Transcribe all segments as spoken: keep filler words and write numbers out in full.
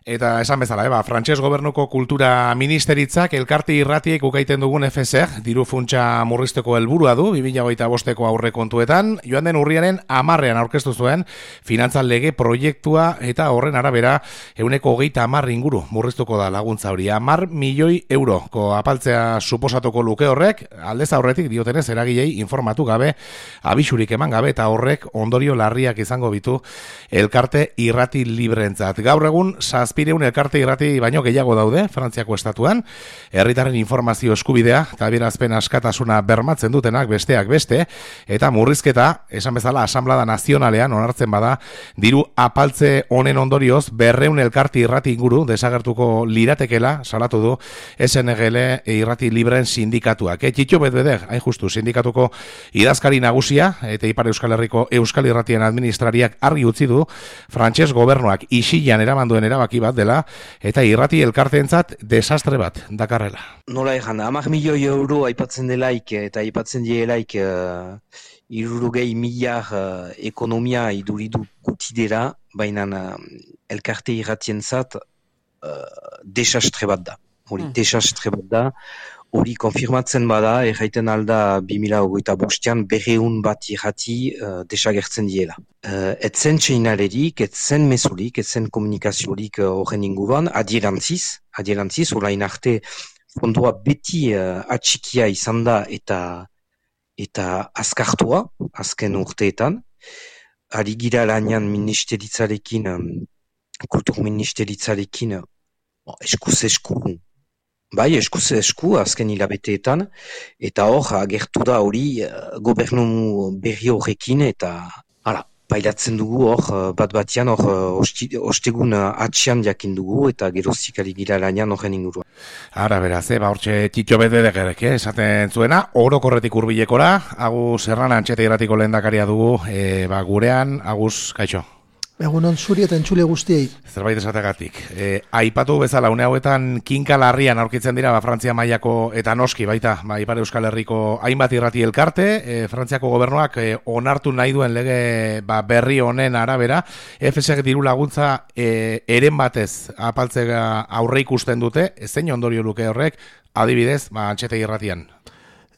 Eta esan bezala, eba, Frantses gobernuko kultura ministeritzak elkarte irratiek ukaiten dugun F S R, diru funtsa murrizteko helburua du, bi mila hogeita bosteko aurrekontuetan, joan den urriaren hamarrean aurkeztu zuen, finantzan lege proiektua eta horren arabera, euneko hogeita hamar inguru murriztuko da laguntza hori. Hamar milioi euroko apaltzea suposatuko luke horrek, aldez aurretik diotenez eragilei informatu gabe, abisurik eman gabe eta horrek ondorio larriak izango bitu elkarte irrati libreentzat. Gaur egun, zazpireun elkarte irrati baino gehiago daude, Frantziako estatuan, herritarren informazio eskubidea eta adierazpen askatasuna bermatzen dutenak besteak beste, eta murrizketa, esan bezala, Asamblada Nazionalean onartzen bada, diru apaltze honen ondorioz, berreun elkarte irrati inguru desagertuko liratekela, salatu du, S N G L irrati libreen sindikatuak. E, Txitxo Bedbeder, hain justu, sindikatuko idazkari nagusia, eta Ipar Euskal Herriko Euskal Irratien administrariak argi utzi du, Frantses gobernuak isilan eraman duen erabaki bat dela, eta irrati elkarteentzat desastre bat dakarrela. Nola egan, hamar milioi euro aipatzen delaik eta aipatzen dielaik uh, irurogei milar uh, ekonomia iduridu gutidera, baina uh, elkarte irratientzat uh, desastre bat da. Hori, hmm. desastre bat da. Hori konfirmatzen bada, erraiten alda bi mila hogeita bostean berreun bat irrati uh, desagertzen diela. Uh, etzen txeinalerik, etzen mesurik, etzen komunikaziorik horren uh, inguruan, adierantziz, adierantziz, orain arte fondua beti uh, atxikia izan da eta eta azkartua, azken urteetan. Ari gira lanean ministeritzarekin, um, kultur ministeritzarekin, uh, eskuz esku, bai, eskuz esku, azken hilabeteetan, eta hor, agertu da hori uh, gobernu berri horrekin, eta hala, pailatzen dugu hor, bat batian hor, ostegun atxian jakin dugu, eta geroztik ari gira lanean horren inguruan. Ara, beraz, eh, ba, hortxe Txitxo Bedbederek, eh, esaten zuena, orokorretik hurbilekora, Agus Errana Antxete irratiko lehendakaria dugu, eh, ba, gurean, Agus, kaixo. Egunon zuri eta entzule guztiei. Zerbait esategatik. E, aipatu bezala, une hauetan kinka larrian aurkitzen dira, ba, Frantzia mailako eta noski baita, ba, Ipar Euskal Herriko hainbat irrati elkarte, e, Frantziako gobernuak e, onartu nahi duen lege ba, berri honen arabera, F S R diru laguntza e, eren batez apaltzea aurre ikusten dute, zein ondorio luke horrek, adibidez, ba, Antxete irratian.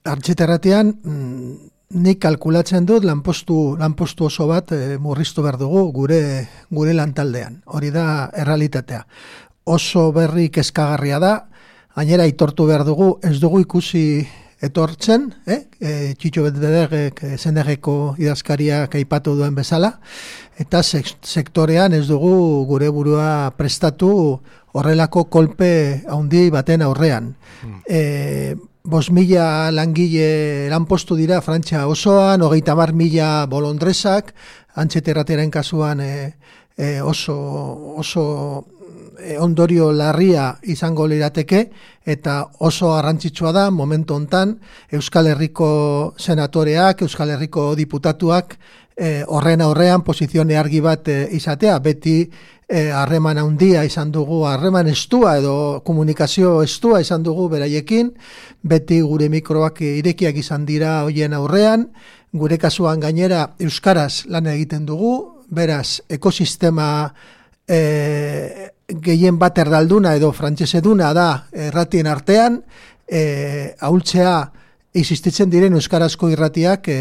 Antxete irratian, mm, nik kalkulatzen dut lanpostu, lanpostu oso bat e, murriztu behar dugu gure, gure lantaldean. Hori da errealitatea. Oso berri kezkagarria da, gainera aitortu behar dugu, ez dugu ikusi etortzen, eh? e, Txitxo Bedbederek S N G-ko idazkariak aipatu duen bezala, eta sektorean ez dugu gure burua prestatu horrelako kolpe handi baten aurrean. Mm. E, Bos mila langile lanpostu dira Frantzia osoan, hogeita hamar mila bolondresak, Antxete irratiaren kasuan e, e, oso, oso e, ondorio larria izango lirateke, eta oso garrantzitsua da momentu hontan Euskal Herriko senatoreak, Euskal Herriko diputatuak e, horren aurrean posizione argi bat e, izatea, beti harreman e, handia izan dugu, harreman estua edo komunikazio estua izan dugu beraiekin, beti gure mikroak irekiak izan dira hoien aurrean, gure kasuan gainera euskaraz lan egiten dugu, beraz ekosistema e, gehien bat erdalduna edo frantseseduna da erratien artean, e, ahultzea existitzen diren euskarazko irratiak e,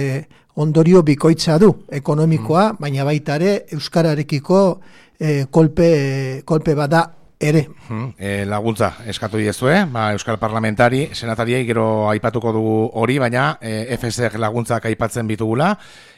ondorio bikoitza du ekonomikoa, mm. baina baita ere euskararekiko E, kolpe, kolpe bada ere. Hmm, e, laguntza eskatu diezue, ba, Euskal Parlamentari, senatariei gero aipatuko dugu hori, baina e, F S R laguntzak aipatzen bitugula,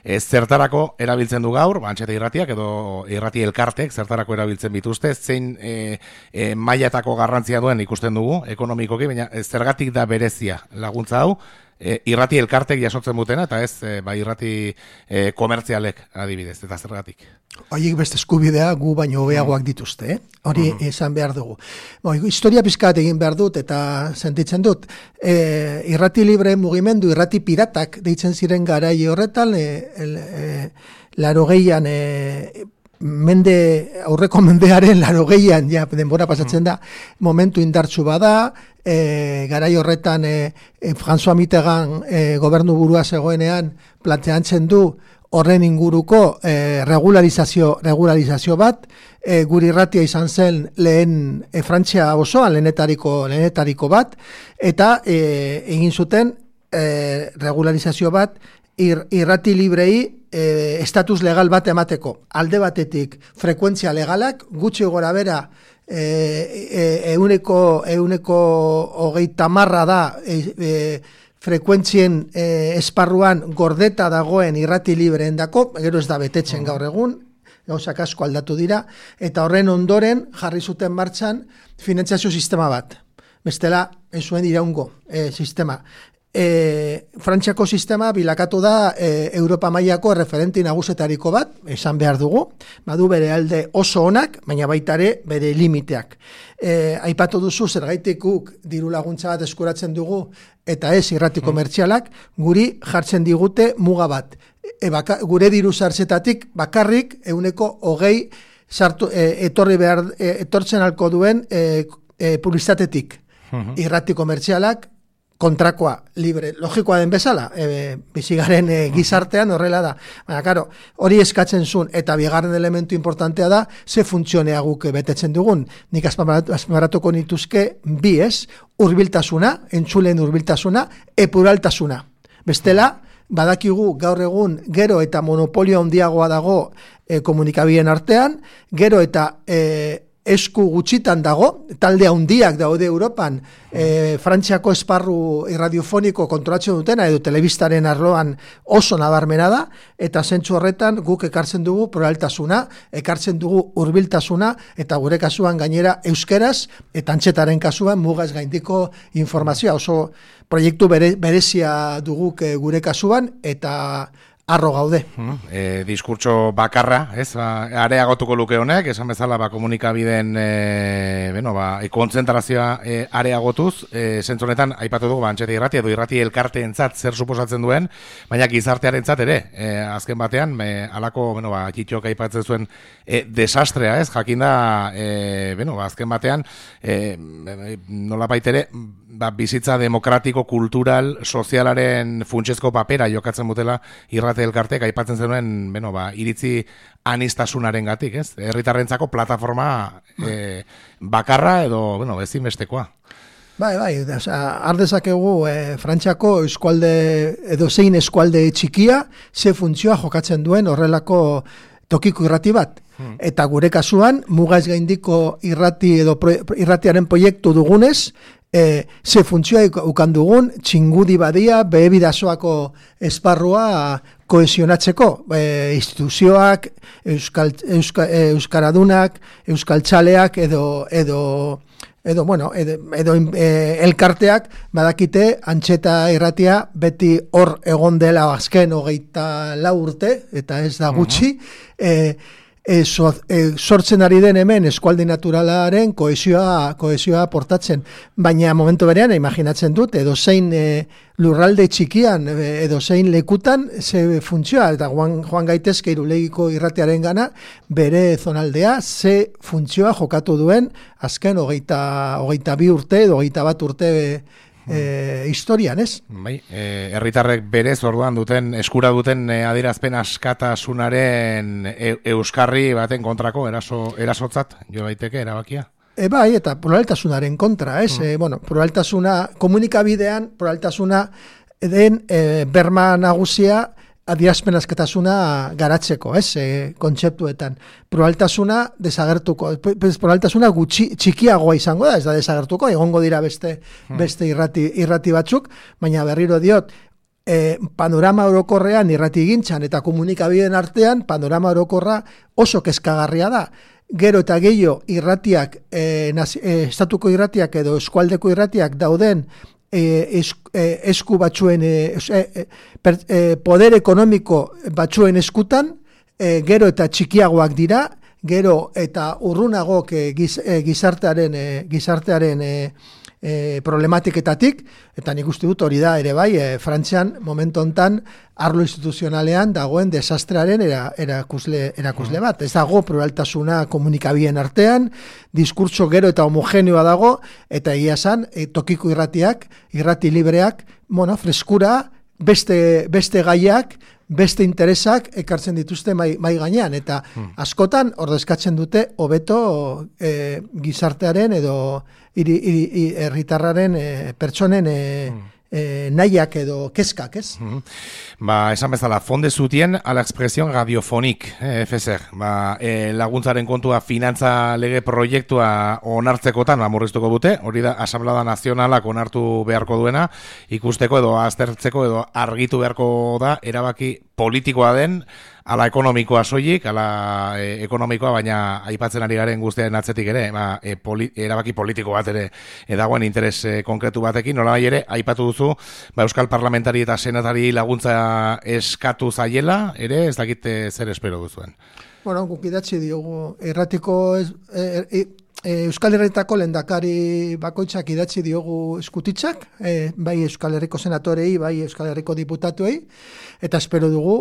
e, zertarako erabiltzen du gaur, Antxete irratiak edo irrati elkartek zertarako erabiltzen bituzte, zein e, e, mailatako garrantzia duen ikusten dugu, ekonomikoki, baina e, zergatik da berezia laguntza hau, E, irrati elkartek jasotzen dutena, eta ez e, ba, irrati e, komertzialek adibidez, eta zergatik. Horiek beste eskubidea gu baino hobeagoak dituzte, eh? Hori uh-huh. esan behar dugu. Bo, historia pizkat egin behar dut eta sentitzen dut. E, irrati libre mugimendu, irrati piratak deitzen ziren garai horretan, e, e, laro gehian e, mende, aurreko mendearen larogeian, ja, denbora pasatzen da, momentu indartsu bada, e, garai horretan e, e, François Mitterrand e, gobernu burua zegoenean planteatzen du horren inguruko e, regularizazio, regularizazio bat, e, guri irratia izan zen lehen e, Frantzia osoan lehenetariko, lehenetariko bat, eta e, egin zuten e, regularizazio bat ir, irrati librei e, estatus legal bat emateko. Alde batetik frekuentzia legalak, gutxi gora bera, e, e, euneko, euneko hogeita marra da e, e, frekuentzien eh, esparruan gordeta dagoen irrati libreen dako, gero ez da betetzen gaur egun, gauzak asko aldatu dira, eta horren ondoren jarri zuten martxan finantziazio sistema bat. Bestela, ez zuen iraungo eh, sistema. E, Frantziako sistema bilakatu da e, Europa mailako referenti nagusetariko bat, esan behar dugu, badu bere alde oso onak, baina baita ere bere limiteak. E, aipatu duzu zergaitik guk diru laguntza bat eskuratzen dugu eta ez irrati komertzialak, guri jartzen digute muga bat. E, baka, gure diru sartzetatik bakarrik euneko hogei sartu, e, etorri behar, e, etortzen alko duen e, e, publizitatetik. Irrati komertzialak kontrakoa, libre, logikoa den bezala, e, bizigaren e, gizartean horrela da. Baina, karo, hori eskatzen zuen, eta bigarren elementu importantea da, ze funtzionea guk betetzen dugun. Nik azpimarratuko nituzke bi ez, hurbiltasuna, entzuleen hurbiltasuna, epuraltasuna. Bestela, badakigu gaur egun gero eta monopolio handiagoa dago e, komunikabideen artean, gero eta e, esku gutxitan dago, talde handiak daude Europan, e, Frantziako esparru irradiofoniko kontrolatzen dutena, edo telebistaren arloan oso nabarmena da, eta zentzu horretan guk ekartzen dugu pluraltasuna, ekartzen dugu hurbiltasuna, eta gure kasuan gainera euskeraz, eta antxetaren kasuan mugaz gaindiko informazioa, oso proiektu bere, berezia duguk gure kasuan, eta arro gaude. E, diskurtso bakarra, ez, ba, areagotuko luke honek, esan bezala ba, komunikabideen e, bueno, ba, e, kontzentrazioa e, areagotuz, e, zentzonetan, aipatu dugu, ba, antxeta irrati edo irrati elkarteentzat zer suposatzen duen, baina gizartearentzat ere, e, azken batean, e, alako, bueno, ba, kitxok aipatzen zuen e, desastrea, ez, jakinda, e, bueno, ba, azken batean, e, nola baitere, ba, bizitza demokratiko, kultural, sozialaren funtsezko papera jokatzen butela irrati elkartek aipatzen zenuen, bueno, ba, iritzi anistasunaren gatik, ez? Herritarrentzako plataforma e, bakarra edo, bueno, ezinbestekoa. Bai, bai, osea, ardezakegu e, Frantziako eskualde edo zein eskualde txikia ze funtzioa jokatzen duen horrelako tokiko irrati bat. Hmm. Eta gure kasuan, mugaz gaindiko irrati edo pro, irratiaren proiektu dugunez, E, ze funtzioa ukan dugun, txingudi badia, behebidazoako esparrua kohesionatzeko. E, instituzioak, euskal, euska, euskaradunak, euskaltzaleak edo, edo, edo, bueno, edo, edo e, elkarteak badakite antxeta irratia beti hor egon dela azken hogeita lau urte, eta ez da gutxi, uh-huh. e, E, so, e, sortzen ari den hemen eskualde naturalaren kohesioa, kohesioa portatzen. Baina momentu berean, imaginatzen dut, edo zein e, lurralde txikian, e, edo zein lekutan, ze funtzioa, eta joan, joan gaitezke irulegiko irratearen gana, bere zonaldea, ze funtzioa jokatu duen, azken hogeita, hogeita bi urte, edo hogeita bat urte E, historian, ez? Bai, e, herritarrek berez orduan duten, eskura duten e, adierazpen askatasunaren e, euskarri baten kontrako eraso, erasotzat, jo daiteke erabakia? E, bai, eta pluraltasunaren kontra, ez? Mm. E, bueno, pluraltasuna, komunikabidean, pluraltasuna den e, berma nagusia adierazpen askatasuna garatzeko, ez, e, kontzeptuetan. Pluraltasuna desagertuko, pluraltasuna gutxi, txikiagoa izango da, ez da desagertuko, egongo dira beste, hmm. beste irrati, irrati batzuk, baina berriro diot, e, panorama orokorrean irrati gintzan eta komunikabideen artean, panorama orokorra oso kezkagarria da. Gero eta gehiago irratiak, e, nazi, e, estatuko irratiak edo eskualdeko irratiak dauden, E, esku, e, esku batzuen e, e, per, e, poder ekonomiko batzuen eskutan, e, gero eta txikiagoak dira, gero eta urrunagok e, giz, e, gizartearen, e, gizartearen e, e, problematiketatik, eta nik uste dut hori da ere bai, e, Frantzian momentu hontan arlo instituzionalean dagoen desastrearen era, erakusle, erakusle bat. Ez dago pluraltasuna komunikabideen artean, diskurtso gero eta homogeneoa dago, eta egia esan, e, tokiko irratiak, irrati libreak, bueno, freskura, beste, beste gaiak, beste interesak ekartzen dituzte mai, mai gainean, eta hmm. askotan ordezkatzen dute hobeto e, gizartearen edo hiri, hiri, herritarraren e, pertsonen e, hmm. E, nahiak edo kezkak, ez? Mm-hmm. Ba, esan bezala, fonde zutien a la expresión radiofonik, eh, F S R. Ba, e, laguntzaren kontua finantza lege proiektua onartzekotan, ba, murriztuko dute, hori da, Asamblada Nazionalak onartu beharko duena, ikusteko edo aztertzeko edo argitu beharko da, erabaki politikoa den, ala ekonomikoa soilik, ala e, ekonomikoa, baina aipatzen ari garen guztiaren atzetik ere, ba, e, poli, erabaki politiko bat ere edagoen interes e, konkretu batekin, nola ere, aipatu duzu, ba, Euskal Parlamentari eta Senatari laguntza eskatu zaiela, ere, ez dakite zer espero duzuen. Bueno, guk idatzi diogu, erratiko ez, e, e, e, Euskal Herritako lehendakari bakoitzak idatzi diogu eskutitzak, e, bai Euskal Herriko senatorei, bai Euskal Herriko diputatuei, eta espero dugu,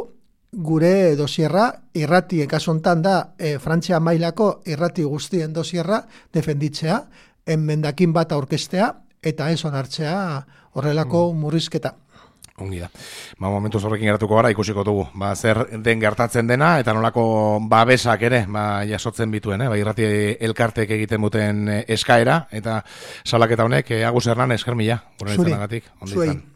gure dosierra, irrati ekasontan da, e, Frantzia mailako irrati guztien dosierra defenditzea, enmendakin bat aurkestea, eta ez onartzea horrelako mm. murrizketa. Ongi da. Ba, momentu horrekin geratuko gara, ikusiko dugu. Ba, zer den gertatzen dena, eta nolako babesak ere, ba, jasotzen bituen, eh? Ba, irrati elkartek egiten duten eskaera, eta salaketa honek, Agus Hernan, esker mila. Zuri, zuei.